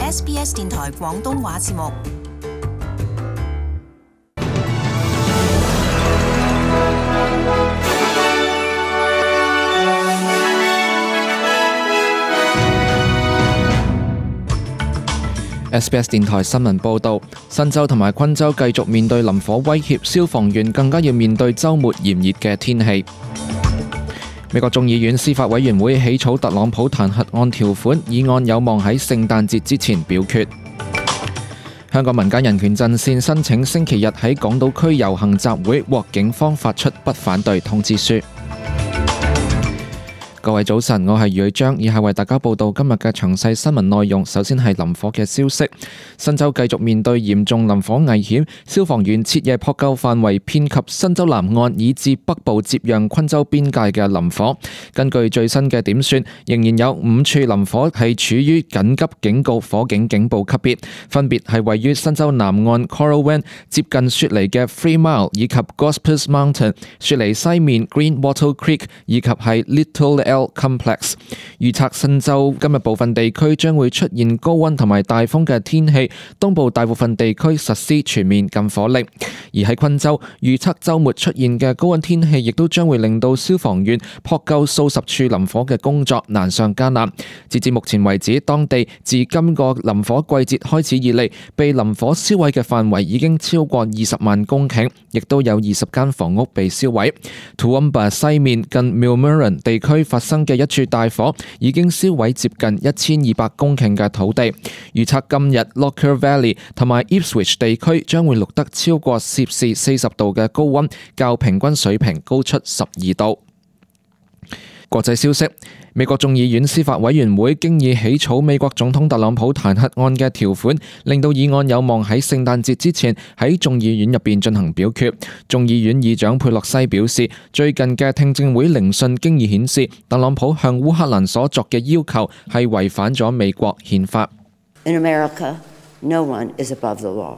SBS 電台廣東話節目。SBS 電台新聞報導，新州同埋昆州繼續面對林火威脅，消防員更加要面對週末炎熱嘅天氣。美國眾議院司法委員會起草特朗普彈劾案條款，議案有望喺聖誕節之前表決。香港民間人權陣線申請星期日喺港島區遊行集會，獲警方發出不反對通知書。各位早晨，我係余章，以下為大家報道今日嘅詳細新聞內容。首先係林火嘅消息，新州繼續面對嚴重林火危險，消防員徹夜撲救範圍遍及新州南岸以至北部接壤昆州邊界嘅林火。根據最新嘅點算，仍然有5處林火係處於緊急警告火警警報級別，分別係位於新州南岸 Coralwen 接近雪梨嘅 Free Mile 以及 Gospers Mountain、雪梨西面 Green Wattle Creek 以及係 Little Complex。 預測新州今日部分地區將會出現高溫同埋大風嘅天氣，東部大部分地區實施全面禁火令。而喺昆州，預測週末出現嘅高溫天氣亦都將會令到消防員撲救數十處林火嘅工作難上加難。截至目前為止，當地自今個林火季節開始以嚟，被林火燒毀嘅範圍已經超過20萬公頃，亦都有20間房屋被燒毀。Toowoomba 西面近 Millmerran 地區發生嘅一處大火已經燒毀接近1200公頃嘅土地。預測今日 Lockyer Valley 同埋 Ipswich 地區將會錄得超過攝氏40度嘅高溫，較平均水平高出12度。國際消息，美國眾議院司法委員會經已起草美國總統特朗普彈劾案嘅條款，令到議案有望喺聖誕節之前喺眾議院入邊進行表決。眾議院議長佩洛西表示，最近嘅聽證會聆訊經已顯示，特朗普向烏克蘭所作嘅要求係違反咗美國憲法。In America, no one is above the law.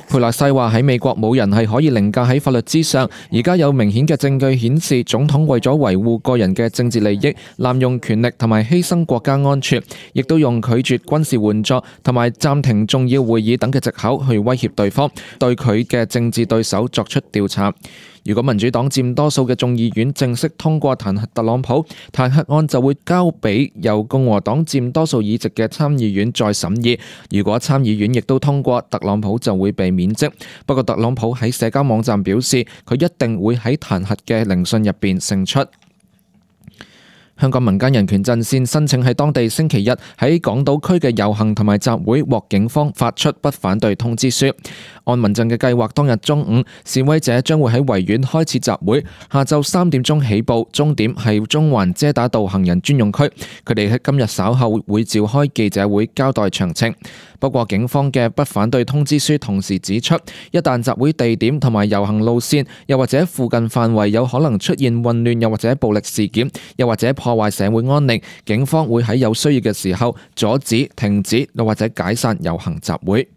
佩洛西話喺美國冇人係可以凌駕喺法律之上，而家有明顯嘅證據顯示總統為咗維護個人嘅政治利益，濫用權力同埋犧牲國家安全，亦都用拒絕軍事援助同埋暫停重要會議等嘅藉口去威脅對方，對佢嘅政治對手作出調查。如果民主黨佔多數嘅眾議院正式通過彈劾特朗普，彈劾案就會交俾由共和黨佔多數議席嘅參議院再審議。如果參議院亦都通過，特朗普就會被免職。不過特朗普喺社交網站表示，佢一定會喺彈劾嘅聆訊入邊勝出。香港民間人權陣線申請喺當地星期日喺港島區嘅遊行同埋集會，獲警方發出不反對通知書。按民陣嘅計劃，當日中午示威者將會喺維園開設集會，下晝3點鐘起步，終點係中環遮打道行人專用區。佢哋喺今日稍後會召開記者會交代詳情。不過警方嘅不反對通知書同時指出，一旦集會地點同埋遊行路線又或者附近範圍有可能出現混亂又或者暴力事件，又或者破壞社會安寧，警方會喺有需要嘅時候阻止、停止又或者解散遊行集會。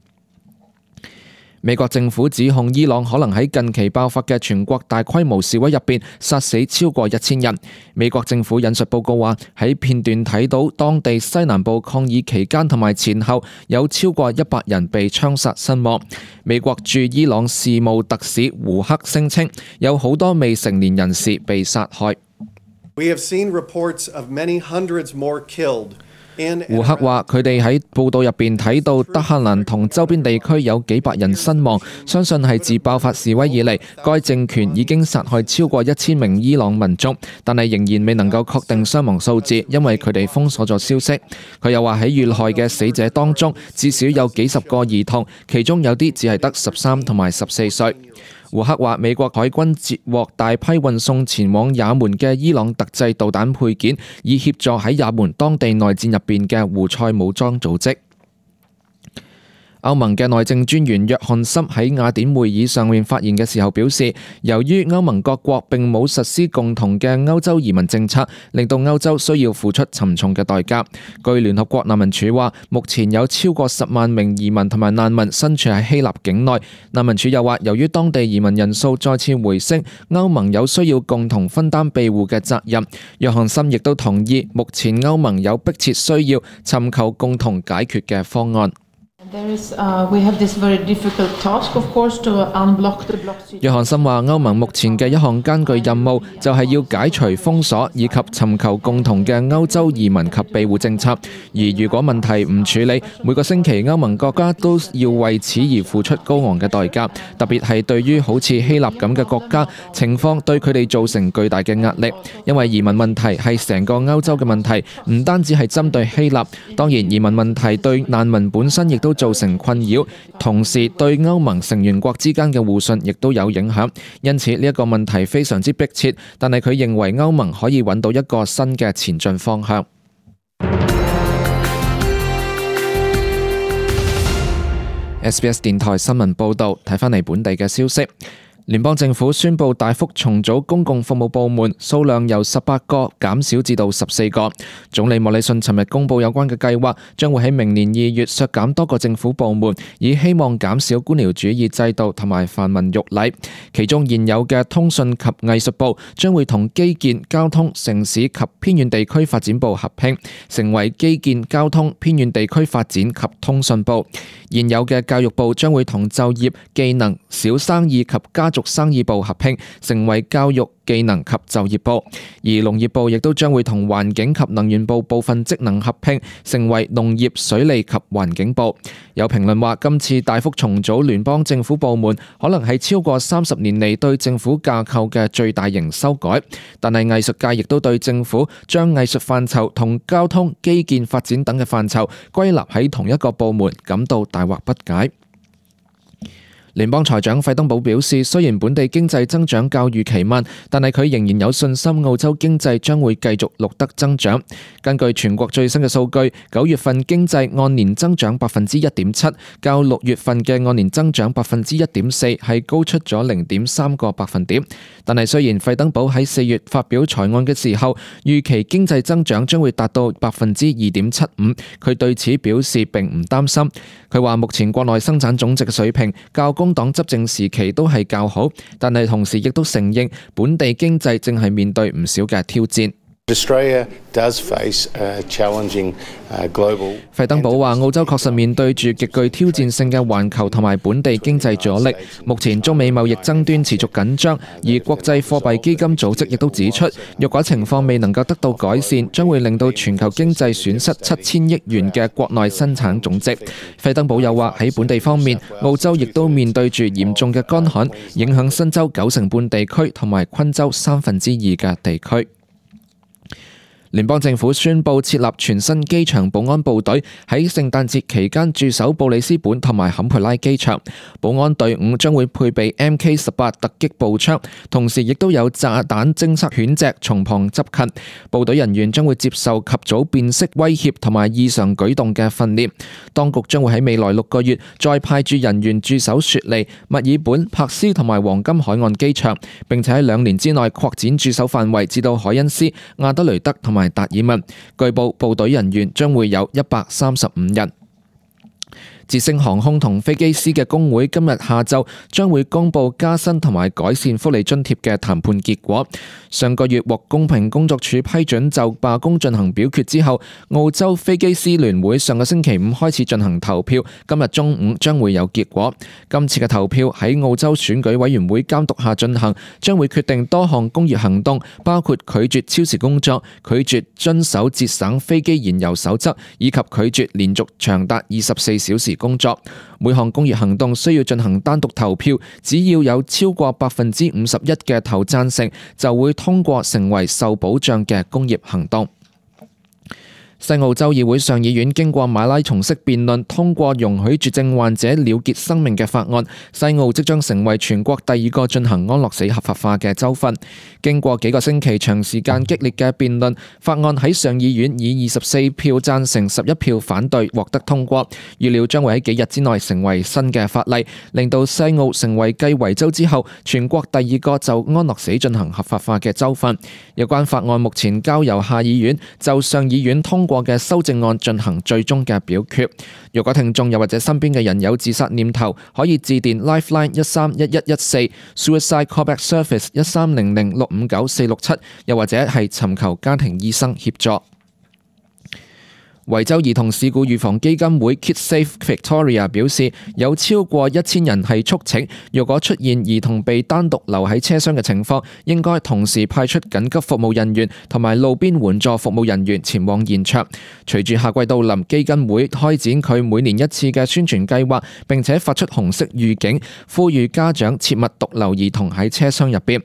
美國政府指控伊朗可能喺近期爆發嘅全國大規模示威入邊殺死超過1000人。美國政府引述報告話，喺片段睇到當地西南部抗議期間同埋前後有超過100人被槍殺身亡。美國駐伊朗事務特使胡克聲稱，有好多未成年人士被殺害。We have seen reports of many hundreds more killed. 胡克話：佢哋喺報道入邊睇到德黑蘭同周邊地區有幾百人身亡，相信係自爆發示威以嚟，該政權已經殺害超過1000名伊朗民眾，但係仍然未能夠確定傷亡數字，因為佢哋封鎖咗消息。佢又話喺遇害嘅死者當中，至少有幾十個兒童，其中有啲只係得13同埋14歲。胡克話：美國海軍截獲大批運送前往也門嘅伊朗特製導彈配件，以協助喺也門當地內戰入邊嘅胡塞武裝組織。歐盟嘅內政專員約翰森喺雅典會議上面發言嘅時候表示，由於歐盟各國並冇實施共同嘅歐洲移民政策，令到歐洲需要付出沉重嘅代價。據聯合國難民署話，目前有超過10萬名移民同埋難民身處喺希臘境內。難民署又話，由於當地移民人數再次回升，歐盟有需要共同分擔庇護嘅責任。約翰森亦都同意，目前歐盟有迫切需要尋求共同解決嘅方案。約翰森話，歐盟目前嘅一項艱巨任務就係要解除封鎖以及尋求共同嘅歐洲移民及庇護政策。而如果問題唔處理，每個星期歐盟國家都要為此而付出高昂嘅代價，特別係對於好似希臘咁嘅國家，情況對佢哋造成巨大嘅壓力。因為移民問題係成個歐洲嘅問題，唔單止係針對希臘。當然，移民問題對難民本身亦都造成困擾，同時對歐盟成員國之間嘅互信亦都有影響。因此呢一個問題非常之迫切，但係佢認為歐盟可以揾到一個新嘅前進方向。SBS 電台新聞報導，睇返嚟本地嘅消息。聯邦政府宣布大幅重組公共服務部門，數量由18個減少至到14個。總理莫里遜尋日公布有關嘅計劃，將會喺明年2月削減多個政府部門，以希望減少官僚主義制度同埋繁文縟禮。其中現有嘅通訊及藝術部將會同基建、交通、城市及偏遠地區發展部合併，成為基建、交通、偏遠地區發展及通訊部。現有嘅教育部將會同就業、技能、小生意及家族生意部合併，成為教育、技能及就業部。而農業部亦都將會同環境及能源部部分職能合併，成為農業、水利及環境部。有評論話，今次大幅重組聯邦政府部門，可能係超過30年嚟對政府架構嘅最大型修改。但係藝術界亦都對政府將藝術範疇同交通、基建發展等嘅範疇歸納喺同一個部門感到大惑不解。聯邦財長費登堡表示，雖然本地經濟增長較預期慢，但係佢仍然有信心澳洲經濟將會繼續錄得增長。根據全國最新嘅數據，9月份經濟按年增長1.7%，較6月份嘅按年增長1.4%係高出咗0.3個百分點。但係雖然費登堡喺4月發表財案嘅時候預期經濟增長將會達到2.75%，佢對此表示並唔擔心。佢話目前國內生產總值嘅水平較工黨執政時期都係較好，但係同時亦都承認本地經濟正係面對唔少嘅挑戰。費登堡話，澳洲確實面對住極具挑戰性嘅環球同埋本地經濟阻力。目前中美貿易爭端持續緊張，而國際貨幣基金組織亦都指出，若果情況未能夠得到改善，將會令到全球經濟損失7000億元嘅國內生產總值。費登堡又話喺本地方面，澳洲亦都面對住嚴重嘅乾旱，影響新州90%地區同埋昆州2/3嘅地區。聯邦政府宣布設立全新機場保安部隊，喺聖誕節期間駐守布里斯本同埋坎培拉機場。保安隊伍將會配備 MK18 突擊步槍，同時亦都有炸彈偵測犬隻從旁執勤。部隊人員將會接受及早辨識威脅同埋異常舉動嘅訓練。當局將會喺未來6個月再派駐人員駐守雪梨、墨爾本、珀斯同埋黃金海岸機場，並且喺2年之內擴展駐守範圍至到海恩斯、亞德雷德同埋達爾文。據報部隊人員將會有135人。捷星航空同飛機師嘅工會今日下晝將會公布加薪同埋改善福利津貼嘅談判結果。上個月獲公平工作處批准就罷工進行表決之後，澳洲飛機師聯會上個星期5開始進行投票，今日中午將會有結果。今次嘅投票喺澳洲選舉委員會監督下進行，將會決定多項工業行動，包括拒絕超時工作、拒絕遵守節省飛機燃油守則，以及拒絕連續長達24小時工作。每項工業行動需要進行單獨投票，只要有超過51%嘅投贊成，就會通過成為受保障嘅工業行動。西澳州議會上議院經過馬拉松式辯論，通過容許絕症患者了結生命嘅法案。西澳即將成為全國第二個進行安樂死合法化嘅州份。經過幾個星期長時間激烈嘅辯論，法案喺上議院以24票贊成11票反對獲得通過，預料將會喺幾日之內成為新嘅法例，令到西澳成為繼維州之後全國第二個就安樂死進行合法化嘅州份。有關法案目前交由下議院就上議院通過嘅修正案進行最終嘅表決。如果聽眾又或者身邊嘅人有自殺念頭，可以致電 Lifeline 131114 Suicide Callback Service 1300659467，又或者係尋求家庭醫生協助。維州兒童事故預防基金會 KidSafe Victoria 表示，有超過1000人係促請，若果出現兒童被單獨留喺車廂嘅情況，應該同時派出緊急服務人員同埋路邊援助服務人員前往現場。隨住夏季到臨，基金會開展佢每年一次嘅宣傳計劃，並且發出紅色預警，呼籲家長切勿獨留兒童喺車廂入邊。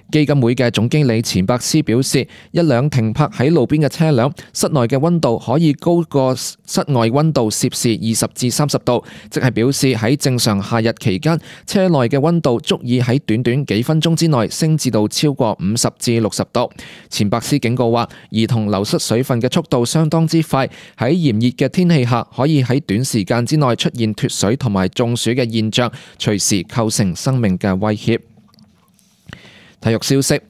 基金會嘅總經理錢伯斯表示，一輛停泊喺路邊嘅車輛，室內嘅溫度可以高過室外溫度攝氏20至30度，即係表示喺正常夏日期間，車內嘅溫度足以喺短短幾分鐘之內升至到超過50至60度。錢伯斯警告話，兒童流失水分嘅速度相當之快，喺炎熱嘅天氣下，可以喺短時間之內出現脫水同埋中暑嘅現象，隨時構成生命嘅威脅。體育消息，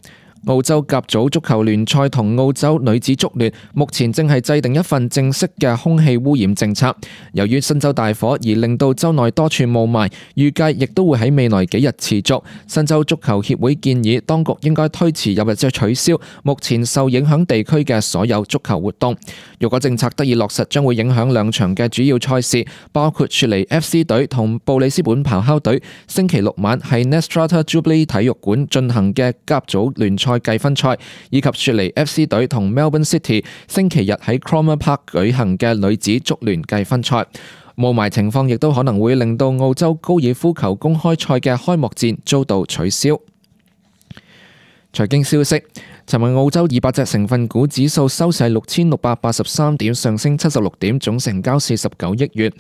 澳洲甲組足球聯賽同澳洲女子足聯目前正係制定一份正式嘅空氣污染政策。由於新州大火而令到州內多處霧霾，預計亦都會喺未來幾日持續。新州足球協會建議當局應該推遲又或者取消目前受影響地區嘅所有足球活動。如果政策得以落實，將會影響2場嘅主要賽事，包括雪梨 FC 隊同布里斯本咆哮隊星期6晚喺 Netstrata Jubilee 體育館進行嘅甲組聯賽計分賽，以及雪梨 FC 隊同 Melbourne City 星期日喺 Cromer Park 舉行嘅女子足聯計分賽。霧霾情況亦都可能會令到澳洲高爾夫球公開賽嘅開幕戰遭到取消。財經消息，尋日澳洲200隻成分股指數收市6683點，上升76點，總成交49億元。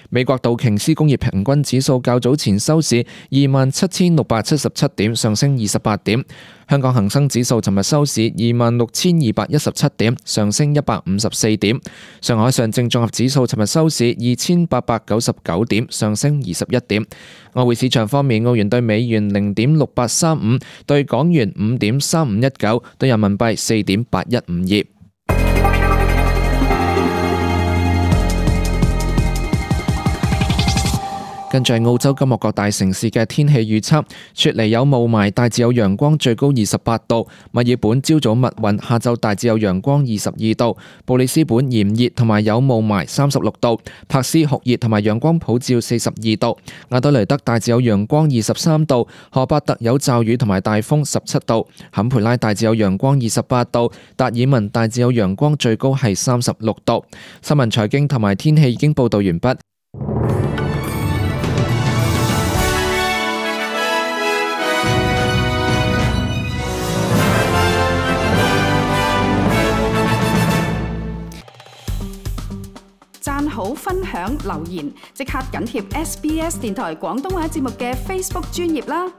美國道瓊斯工業平均指數較早前收市27677點，上升28點。香港恒生指數尋日收市26217點，上升154點。上海上證綜合指數尋日收市2899點，上升21點。外匯市場方面，澳元對美元0.6835，對港元5.3519，對人民幣4.8152。跟住係澳洲今日各大城市嘅天氣預測：雪梨有霧霾，大致有陽光，最高28度；墨爾本朝早密雲，下晝大致有陽光，22度；布里斯本炎熱同埋有霧霾，36度；珀斯酷熱同埋陽光普照，42度；亞德雷德大致有陽光，23度；荷伯特有驟雨同埋大風，17度；坎培拉大致有陽光，28度；達爾文大致有陽光，最高係36度。新聞財經同埋天氣已經報道完畢。讚好、分享、留言，即刻緊貼SBS 電台廣東話節目嘅 Facebook 專頁啦！